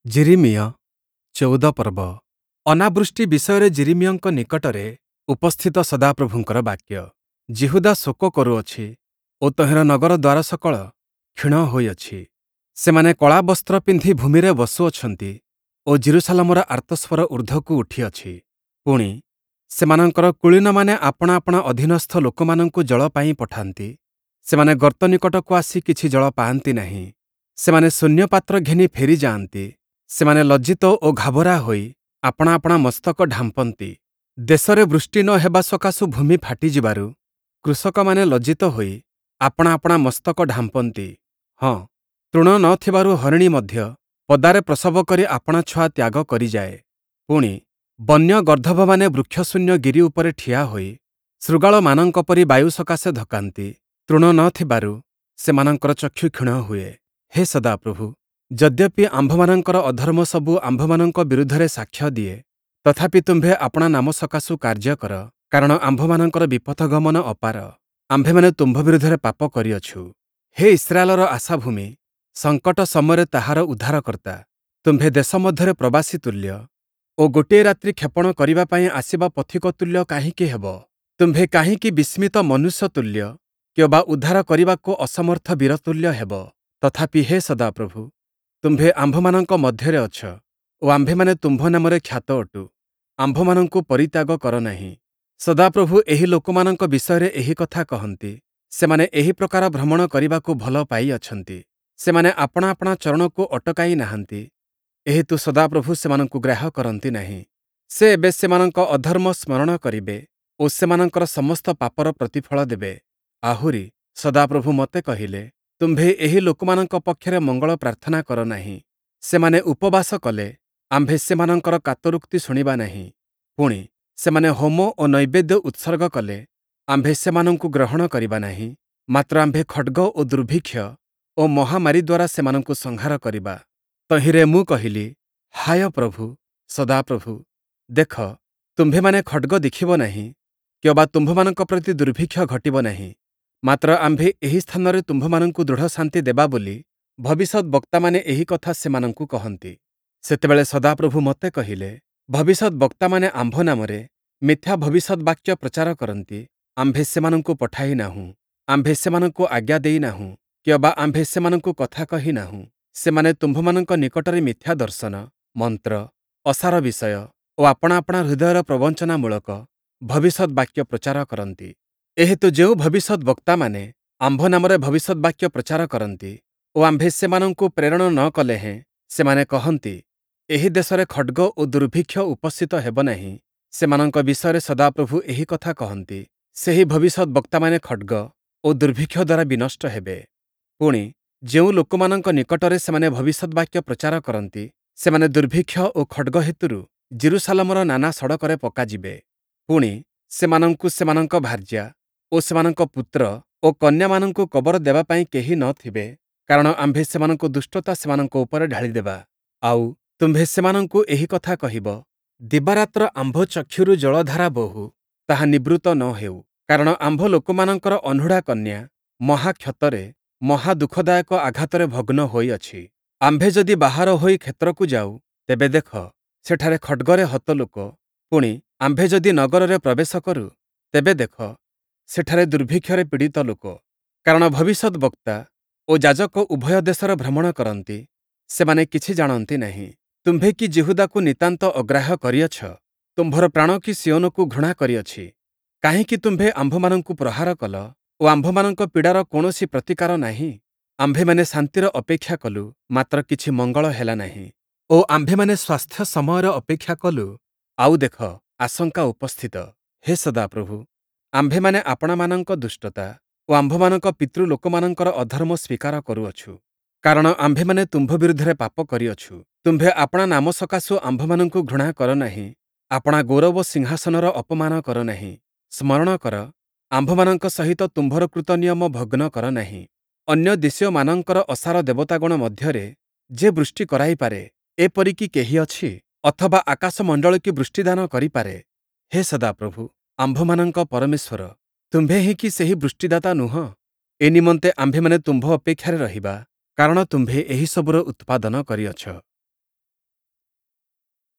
ଯିରିମିୟ ୧୪ ପର୍ବ। ଅନାବୃଷ୍ଟି ବିଷୟରେ ଯିରିମିୟଙ୍କ ନିକଟରେ ଉପସ୍ଥିତ ସଦାପ୍ରଭୁଙ୍କର ବାକ୍ୟ। ଯିହୁଦା ଶୋକ କରୁଅଛି ଓ ତହିଁର ନଗର ଦ୍ଵାରସକଳ କ୍ଷୀଣ ହୋଇଅଛି। ସେମାନେ କଳା ବସ୍ତ୍ର ପିନ୍ଧି ଭୂମିରେ ବସୁଅଛନ୍ତି ଓ ଯିରୂଶାଲମର ଆର୍ତ୍ତସ୍ଵର ଊର୍ଦ୍ଧ୍ଵକୁ ଉଠିଅଛି। ପୁଣି, ସେମାନଙ୍କର କୁଳୀନମାନେ ଆପଣା ଆପଣା ଅଧୀନସ୍ଥ ଲୋକମାନଙ୍କୁ ଜଳ ପାଇଁ ପଠାନ୍ତି। ସେମାନେ ଗର୍ତ୍ତ ନିକଟକୁ ଆସି କିଛି ଜଳ ପାଆନ୍ତି ନାହିଁ। ସେମାନେ ଶୂନ୍ୟ ପାତ୍ର ଘେନି ଫେରିଯାଆନ୍ତି। ସେମାନେ ଲଜ୍ଜିତ ଓ ଘାବରା ହୋଇ ଆପଣା ଆପଣା ମସ୍ତକ ଢାମ୍ପନ୍ତି। ଦେଶରେ ବୃଷ୍ଟି ନ ହେବା ସକାଶୁ ଭୂମି ଫାଟିଯିବାରୁ କୃଷକମାନେ ଲଜ୍ଜିତ ହୋଇ ଆପଣା ଆପଣା ମସ୍ତକ ଢାମ୍ପନ୍ତି। ହଁ, ତୃଣ ନ ଥିବାରୁ ହରିଣୀ ମଧ୍ୟ ପଦାରେ ପ୍ରସବ କରି ଆପଣା ଛୁଆ ତ୍ୟାଗ କରିଯାଏ। ପୁଣି, ବନ୍ୟ ଗର୍ଦ୍ଦଭମାନେ ବୃକ୍ଷଶୂନ୍ୟ ଗିରି ଉପରେ ଠିଆ ହୋଇ ଶୃଗାଳମାନଙ୍କ ପରି ବାୟୁ ସକାଶେ ଧକାନ୍ତି। ତୃଣ ନ ଥିବାରୁ ସେମାନଙ୍କର ଚକ୍ଷୁ କ୍ଷୀଣ ହୁଏ। ହେ ସଦାପ୍ରଭୁ, ଯଦ୍ୟପି ଆମ୍ଭମାନଙ୍କର ଅଧର୍ମ ସବୁ ଆମ୍ଭମାନଙ୍କ ବିରୁଦ୍ଧରେ ସାକ୍ଷ୍ୟ ଦିଏ, ତଥାପି ତୁମ୍ଭେ ଆପଣା ନାମ ସକାଶୁ କାର୍ଯ୍ୟ କର, କାରଣ ଆମ୍ଭମାନଙ୍କର ବିପଥଗମନ ଅପାର। ଆମ୍ଭେମାନେ ତୁମ୍ଭ ବିରୁଦ୍ଧରେ ପାପ କରିଅଛୁ। ହେ ଇସ୍ରାଏଲର ଆଶାଭୂମି, ସଙ୍କଟ ସମୟରେ ତାହାର ଉଦ୍ଧାରକର୍ତ୍ତା, ତୁମ୍ଭେ ଦେଶ ମଧ୍ୟରେ ପ୍ରବାସୀ ତୁଲ୍ୟ ଓ ଗୋଟିଏ ରାତ୍ରି କ୍ଷେପଣ କରିବା ପାଇଁ ଆସିବା ପଥିକ ତୁଲ୍ୟ କାହିଁକି ହେବ? ତୁମ୍ଭେ କାହିଁକି ବିସ୍ମିତ ମନୁଷ୍ୟ ତୁଲ୍ୟ କିଅବା ଉଦ୍ଧାର କରିବାକୁ ଅସମର୍ଥ ବୀର ତୁଲ୍ୟ ହେବ? ତଥାପି ହେ ସଦାପ୍ରଭୁ, ତୁମ୍ଭେ ଆମ୍ଭମାନଙ୍କ ମଧ୍ୟରେ ଅଛ ଓ ଆମ୍ଭେମାନେ ତୁମ୍ଭ ନାମରେ ଖ୍ୟାତ ଅଟୁ। ଆମ୍ଭମାନଙ୍କୁ ପରିତ୍ୟାଗ କର ନାହିଁ। ସଦାପ୍ରଭୁ ଏହି ଲୋକମାନଙ୍କ ବିଷୟରେ ଏହି କଥା କହନ୍ତି, ସେମାନେ ଏହି ପ୍ରକାର ଭ୍ରମଣ କରିବାକୁ ଭଲ ପାଇଅଛନ୍ତି। ସେମାନେ ଆପଣା ଆପଣା ଚରଣକୁ ଅଟକାଇ ନାହାନ୍ତି। ଏହେତୁ ସଦାପ୍ରଭୁ ସେମାନଙ୍କୁ ଗ୍ରାହ୍ୟ କରନ୍ତି ନାହିଁ। ସେ ଏବେ ସେମାନଙ୍କ ଅଧର୍ମ ସ୍ମରଣ କରିବେ ଓ ସେମାନଙ୍କର ସମସ୍ତ ପାପର ପ୍ରତିଫଳ ଦେବେ। ଆହୁରି, ସଦାପ୍ରଭୁ ମୋତେ କହିଲେ, ତୁମ୍ଭେ ଏହି ଲୋକମାନଙ୍କ ପକ୍ଷରେ ମଙ୍ଗଳ ପ୍ରାର୍ଥନା କର ନାହିଁ। ସେମାନେ ଉପବାସ କଲେ, ଆମ୍ଭେ ସେମାନଙ୍କର କାତରୋକ୍ତି ଶୁଣିବା ନାହିଁ। ପୁଣି, ସେମାନେ ହୋମ ଓ ନୈବେଦ୍ୟ ଉତ୍ସର୍ଗ କଲେ, ଆମ୍ଭେ ସେମାନଙ୍କୁ ଗ୍ରହଣ କରିବା ନାହିଁ। ମାତ୍ର ଆମ୍ଭେ ଖଡ଼୍ଗ ଓ ଦୁର୍ଭିକ୍ଷ ଓ ମହାମାରୀ ଦ୍ୱାରା ସେମାନଙ୍କୁ ସଂହାର କରିବା। ତହିଁରେ ମୁଁ କହିଲି, ହାୟ ପ୍ରଭୁ, ସଦାପ୍ରଭୁ, ଦେଖ, ତୁମ୍ଭେମାନେ ଖଡ଼୍ଗ ଦେଖିବ ନାହିଁ, କିଅବା ତୁମ୍ଭମାନଙ୍କ ପ୍ରତି ଦୁର୍ଭିକ୍ଷ ଘଟିବ ନାହିଁ। ମାତ୍ର ଆମ୍ଭେ ଏହି ସ୍ଥାନରେ ତୁମ୍ଭମାନଙ୍କୁ ଦୃଢ଼ ଶାନ୍ତି ଦେବା ବୋଲି ଭବିଷ୍ୟଦ୍‌ବକ୍ତାମାନେ ଏହି କଥା ସେମାନଙ୍କୁ କହନ୍ତି। ସେତେବେଳେ ସଦାପ୍ରଭୁ ମୋତେ କହିଲେ, ଭବିଷ୍ୟଦ୍‌ବକ୍ତାମାନେ ଆମ୍ଭ ନାମରେ ମିଥ୍ୟା ଭବିଷ୍ୟଦ୍‌ବାକ୍ୟ ପ୍ରଚାର କରନ୍ତି। ଆମ୍ଭେ ସେମାନଙ୍କୁ ପଠାଇ ନାହୁଁ, ଆମ୍ଭେ ସେମାନଙ୍କୁ ଆଜ୍ଞା ଦେଇ ନାହୁଁ, କିଅବା ଆମ୍ଭେ ସେମାନଙ୍କୁ କଥା କହି ନାହୁଁ। ସେମାନେ ତୁମ୍ଭମାନଙ୍କ ନିକଟରେ ମିଥ୍ୟା ଦର୍ଶନ, ମନ୍ତ୍ର, ଅସାର ବିଷୟ ଓ ଆପଣା ଆପଣା ହୃଦୟର ପ୍ରବଞ୍ଚନାମୂଳକ ଭବିଷ୍ୟଦ୍‌ବାକ୍ୟ ପ୍ରଚାର କରନ୍ତି। ଏହେତୁ ଯେଉଁ ଭବିଷ୍ୟଦ୍‌ବକ୍ତାମାନେ ଆମ୍ଭ ନାମରେ ଭବିଷ୍ୟଦ୍‌ବାକ୍ୟ ପ୍ରଚାର କରନ୍ତି ଓ ଆମ୍ଭେ ସେମାନଙ୍କୁ ପ୍ରେରଣ ନ କଲେ ହେଁ ସେମାନେ କହନ୍ତି, ଏହି ଦେଶରେ ଖଡ଼୍ଗ ଓ ଦୁର୍ଭିକ୍ଷ ଉପସ୍ଥିତ ହେବ ନାହିଁ, ସେମାନଙ୍କ ବିଷୟରେ ସଦାପ୍ରଭୁ ଏହି କଥା କହନ୍ତି, ସେହି ଭବିଷ୍ୟଦ୍‌ବକ୍ତାମାନେ ଖଡ଼୍ଗ ଓ ଦୁର୍ଭିକ୍ଷ ଦ୍ୱାରା ବିନଷ୍ଟ ହେବେ। ପୁଣି, ଯେଉଁ ଲୋକମାନଙ୍କ ନିକଟରେ ସେମାନେ ଭବିଷ୍ୟଦ୍‌ବାକ୍ୟ ପ୍ରଚାର କରନ୍ତି, ସେମାନେ ଦୁର୍ଭିକ୍ଷ ଓ ଖଡ଼୍ଗ ହେତୁରୁ ଯିରୂଶାଲମର ନାନା ସଡ଼କରେ ପକାଯିବେ। ପୁଣି, ସେମାନଙ୍କୁ ସେମାନଙ୍କ ଭାର୍ଯ୍ୟା ଓ ସେମାନଙ୍କ ପୁତ୍ର ଓ କନ୍ୟାମାନଙ୍କୁ କବର ଦେବା ପାଇଁ କେହି ନ ଥିବେ, କାରଣ ଆମ୍ଭେ ସେମାନଙ୍କ ଦୁଷ୍ଟତା ସେମାନଙ୍କ ଉପରେ ଢାଳିଦେବା। ଆଉ, ତୁମ୍ଭେ ସେମାନଙ୍କୁ ଏହି କଥା କହିବ, ଦିବାରାତ୍ର ଆମ୍ଭ ଚକ୍ଷୁରୁ ଜଳଧାରା ବୋହୁ, ତାହା ନିବୃତ୍ତ ନ ହେଉ। କାରଣ ଆମ୍ଭ ଲୋକମାନଙ୍କର ଅନୁଢ଼ା କନ୍ୟା ମହାକ୍ଷତରେ, ମହାଦୁଃଖଦାୟକ ଆଘାତରେ ଭଗ୍ନ ହୋଇଅଛି। ଆମ୍ଭେ ଯଦି ବାହାର ହୋଇ କ୍ଷେତ୍ରକୁ ଯାଉ, ତେବେ ଦେଖ, ସେଠାରେ ଖଡ଼୍ଗରେ ହତ ଲୋକ। ପୁଣି, ଆମ୍ଭେ ଯଦି ନଗରରେ ପ୍ରବେଶ କରୁ, ତେବେ ଦେଖ, ସେଠାରେ ଦୁର୍ଭିକ୍ଷରେ ପୀଡ଼ିତ ଲୋକ। କାରଣ ଭବିଷ୍ୟଦ୍‌ବକ୍ତା ଓ ଯାଜକ ଉଭୟ ଦେଶରେ ଭ୍ରମଣ କରନ୍ତି, ସେମାନେ କିଛି ଜାଣନ୍ତି ନାହିଁ। ତୁମ୍ଭେ କି ଯିହୁଦାକୁ ନିତାନ୍ତ ଅଗ୍ରାହ୍ୟ କରିଅଛ? ତୁମ୍ଭର ପ୍ରାଣ କି ସିୟୋନକୁ ଘୃଣା କରିଅଛି? କାହିଁକି ତୁମ୍ଭେ ଆମ୍ଭମାନଙ୍କୁ ପ୍ରହାର କଲ ଓ ଆମ୍ଭମାନଙ୍କ ପୀଡ଼ାର କୌଣସି ପ୍ରତିକାର ନାହିଁ? ଆମ୍ଭେମାନେ ଶାନ୍ତିର ଅପେକ୍ଷା କଲୁ, ମାତ୍ର କିଛି ମଙ୍ଗଳ ହେଲା ନାହିଁ ଓ ଆମ୍ଭେମାନେ ସ୍ୱାସ୍ଥ୍ୟ ସମୟର ଅପେକ୍ଷା କଲୁ, ଆଉ ଦେଖ, ଆଶଙ୍କା ଉପସ୍ଥିତ। ହେ ସଦାପ୍ରଭୁ, ଆମ୍ଭେମାନେ ଆପଣାମାନଙ୍କ ଦୁଷ୍ଟତା ଓ ଆମ୍ଭମାନଙ୍କ ପିତୃଲୋକମାନଙ୍କର ଅଧର୍ମ ସ୍ଵୀକାର କରୁଅଛୁ। କାରଣ ଆମ୍ଭେମାନେ ତୁମ୍ଭ ବିରୁଦ୍ଧରେ ପାପ କରିଅଛୁ। ତୁମ୍ଭେ ଆପଣା ନାମ ସକାଶୁ ଆମ୍ଭମାନଙ୍କୁ ଘୃଣା କର ନାହିଁ, ଆପଣା ଗୌରବ ସିଂହାସନର ଅପମାନ କର ନାହିଁ। ସ୍ମରଣ କର, ଆମ୍ଭମାନଙ୍କ ସହିତ ତୁମ୍ଭର କୃତ ନିୟମ ଭଗ୍ନ କର ନାହିଁ। ଅନ୍ୟ ଦେଶୀୟମାନଙ୍କର ଅସାର ଦେବତାଗଣ ମଧ୍ୟରେ ଯେ ବୃଷ୍ଟି କରାଇପାରେ, ଏପରି କି କେହି ଅଛି? ଅଥବା ଆକାଶମଣ୍ଡଳ କି ବୃଷ୍ଟିଦାନ କରିପାରେ? ହେ ସଦାପ୍ରଭୁ, ଆମ୍ଭମାନଙ୍କ ପରମେଶ୍ୱର, ତୁମ୍ଭେ ହିଁ କି ସେହି ବୃଷ୍ଟିଦାତା ନୁହଁ? ଏ ନିମନ୍ତେ ଆମ୍ଭେମାନେ ତୁମ୍ଭ ଅପେକ୍ଷାରେ ରହିବା, କାରଣ ତୁମ୍ଭେ ଏହିସବୁର ଉତ୍ପାଦନ କରିଅଛ।